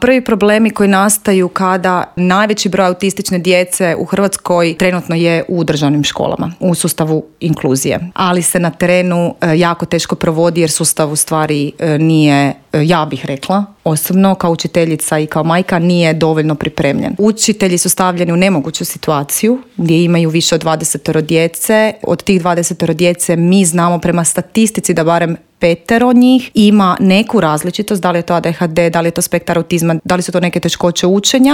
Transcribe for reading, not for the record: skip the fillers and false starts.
Prvi problemi koji nastaju kada najveći broj autistične djece u Hrvatskoj trenutno je u državnim školama, u sustavu inkluzije. Ali se na terenu jako teško provodi jer sustav u stvari nije, ja bih rekla, osobno kao učiteljica i kao majka nije dovoljno pripremljen. Učitelji su stavljeni u nemoguću situaciju gdje imaju više od 20 djece. Od tih 20 djece mi znamo prema statistici da barem 5 njih ima neku različitost, da li je to ADHD, da li je to spektar autizma, da li su to neke teškoće učenja